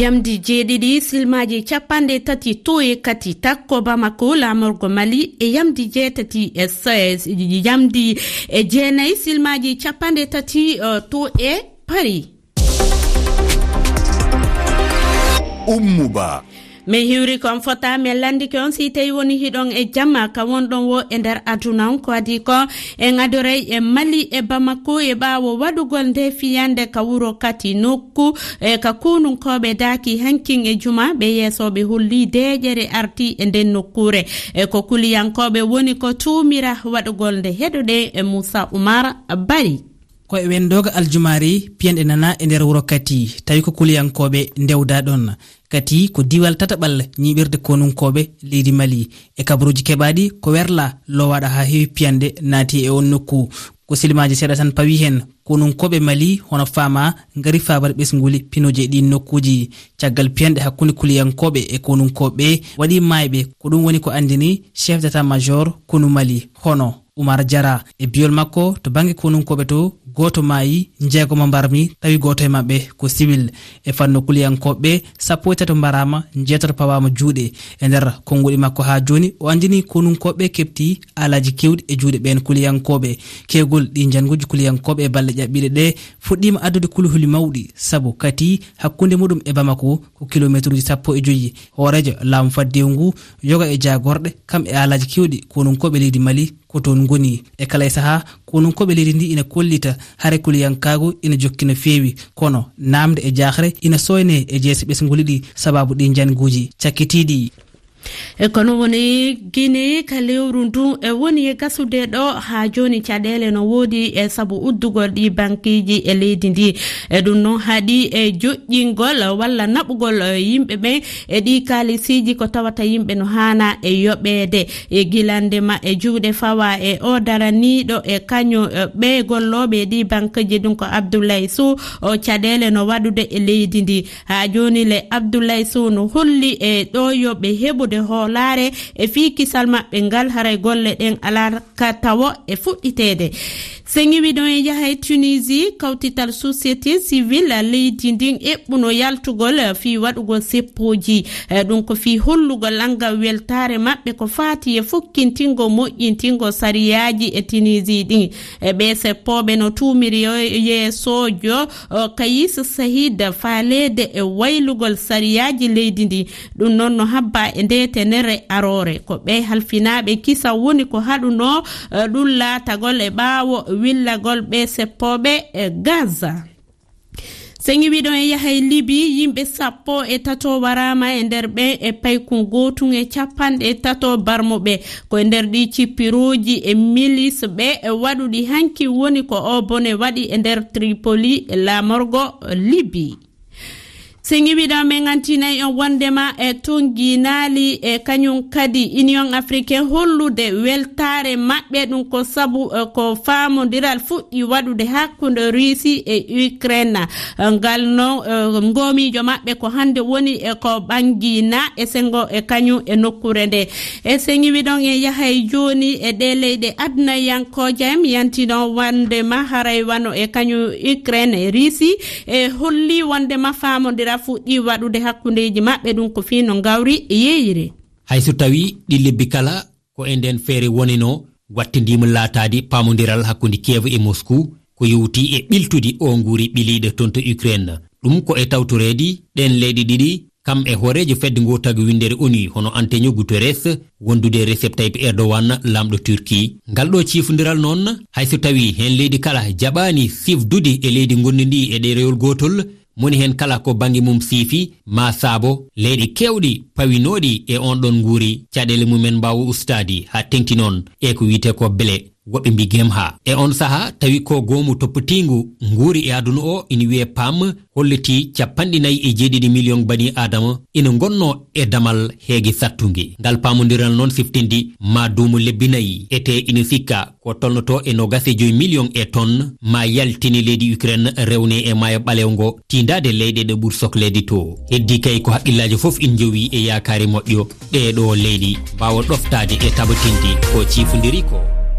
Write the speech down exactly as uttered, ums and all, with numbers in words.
Yamdi jeeɗiɗi silmaaji capanɗe tati to e kati takko Bamako, laamorgo Mali, e yamdi jeetati e s-, yamdi e jeenayi silmaaji capanɗe tati, eh, to e Paris. Ummu Ba. Min hiwri ko on fota, min lanndike on si tawi woni hiɗon e jamma ka wonɗon wo e nder aduna on. Ko adii ko en adoray e Mali e Bamako e ɓaawo waɗugol nde fiyande ka wuro Kati nokku e ka konunkooɓe daaki hankin e juma ɓe yeesooɓe holli deeƴere arti e nden nokkuure. E ko kuliyankooɓe woni ko tuumira waɗugol nde. Heɗoɗen e Moussa Oumar Bari. Ko e wendooga aljumaari piyanɗe nana e nder wuro Kati, tawi ko kuliyankooɓe ndewda ɗon. Kati ko diwal tataɓal ñiiɓirde konunkooɓe leydi Mali. E kabaruuji keɓaaɗi ko werla lowaaɗo haa heewi piyanɗe naati e on nokku. Ko silimaaji seeɗa tan pawi heen. Konunkooɓe Mali hono faama ngari faabare ɓesnguli pinooji e ɗiin nokkuuji. Caggal piyanɗe hakkunde kuliyankooɓe e konunkooɓe waɗi maayɓe. Ko ɗum woni ko anndini chef d'état-major konu Mali hono Oumar Diarra. E biyol makko, to bannge konunkooɓe to, gooto maayi, njeegoma mbarmi, tawi gooto e maɓɓe ko siwil. E fannu kuliyankooɓe, sappo e tato mbaraama, njeetato pawaama juuɗe. E nder konguɗi makko haa jooni, o anndini konunkooɓe keɓti alaaji keewɗi e juuɗe ɓeen kuliyankooɓe. Keewgol ɗi njannguuji kuliyankooɓe e balɗe ƴaɓɓiiɗe ɗe fuɗɗiima addude kuluhuli mawɗi, sabu Kati hakkunde muɗum e Bamako ko kilomeetruuji sappo e joyi. Hooreejo laamu faddewu ngu yoga e jaagorɗe, kam e alaaji keewɗi konunkooɓe leydi Mali ko toon ngoni. E kala e sahaa, konunkooɓe leydi ndi ina kollita hare kuliyankaagu ina jokki no feewi, kono naamnde e jaahre ina sooynee e jeese ɓesnguli ɗi sababu ɗi njannguuji cakkitiiɗi. E kono woni Guinée ka lewru ndu e woni e gasude ɗo haa jooni caɗeele no woodi e sabu uddugol ɗi bankiiji e leydi ndi. E ɗum noon haɗi e joƴƴingol walla naɓugol, eh, yimɓe ɓen e ɗi kaalisiiji ko tawata yimɓe no haana e yoɓeede. E gilande ma e juuɗe fawa e o daraniiɗo e kañum, eh, ɓe gollooɓe e ɗi bankiiji ɗum ko Abdoulaye Sow, o caɗeele no waɗude e leydi ndi. Haa jooni le Abdoulaye Sow no holli e ɗo yo ɓe heɓude hoolaare e fii kisal maɓɓe ngal, haray golle ɗen alaa ka tawo e fuɗɗiteede. Seŋi wiɗon e yaha e Tunisie, kawtital société civile leydi ndin eɓɓuno yaltugol fii waɗugol seppooji. Eh, ɗum ko fii hollugol lanngal weltaare maɓɓe ko faati e fukkintingol moƴƴintingol sariyaaji e Tunisie ɗin. E ɓee seppooɓe no tuumiri yo-, yeesoojo, o, Kayis Sahid faaleede e waylugol sariyaaji leydi ndi. Ɗum noon no habba e nde tenere aroore. Ko ɓe halfinaaɓe kisa woni ko haɗuno, e, ɗum laatagol e ɓaawo willagol ɓe seppooɓe e Gaza. Seŋi wiɗon e yaha e Libi, yimɓe sappo e tato waraama e nder ɓen e paykun gootun e capanɗe tato barmuɓe. Ko e nder ɗi cippirooji e milis ɓe e waɗuɗi hanki woni ko o bone waɗi e nder Tripoli e laamorgo Libi. Seŋi wiɗon men antinay on wondema e tonginaali e kañum kadi Union Africaine hollude weltaare maɓɓe ɗum ko sabu, eh, ko faamondiral fuɗɗi waɗude hakkunde Russie e Ukraine. Eh, ngal noon, eh, ngoomiijo maɓɓe ko hannde woni e ko ɓanngina e sengo e kañum e nokkuure nde. E seŋi wiɗon e yahay jooni e ɗe leyɗe adunayankooje, mi yantinon wondema haray wano e kañum Ukraine e Russie e holli wondema faamondira fuɗɗi waɗude hakkundeeji maɓɓe ɗum ko fii no ngawri yeeyre. Hay so tawii ɗi lebbi kala ko e nden feere wonino, wattindiima laataade paamondiral hakkunde Kiev e Moscou, ko yowti e ɓiltudi o nguuri ɓiliiɗo toon to Ukraine. Ɗum ko e tawtoreede ɗeen leyɗe ɗiɗi, kam e hooreejo fedde ngootagu winndere ONU, hono Antonio Guterres, wondude Recep Tayyip Erdogan, laamɗo Turquie. Ngal ɗo ciifondiral noon, hay so tawii heen leydi kala jaɓaani sifdude e leydi ngonndi ndi e ɗerewol gootol, moni heen kala ko bannge mum siifi, maa saabo leyɗe keewɗi pawinooɗi e on ɗon nguuri, caɗeele mumen mbaawa ustaade haa teŋti noon e ko wiyetee ko bele, woɓɓe mbi gem haa. E on sahaa, tawi ko goomu toppitiingu nguuri e aduna o, ina wiyee pam, hollitii capanɗe nayi e jeeɗiɗi miliyoŋ bani Aadama ina ngonnoo e damal heege sattunge. Ngal paamondiral noon siftindi maa duumu lebbi nayi, etee ina sikka ko tolnotoo e noogas e joy miliyoŋ e ton maa yaltini leydi Ukraine, rewne e maayo ɓaleewo ngo, tiindaade leyɗe ɗe ɓuri sokleede to. Heddii kay ko hakkillaaji fof ina njowi e yaakaare moƴƴo ɗee ɗoo leyɗe mbaawa ɗoftaade e tabatinde ko ciifondiri ko.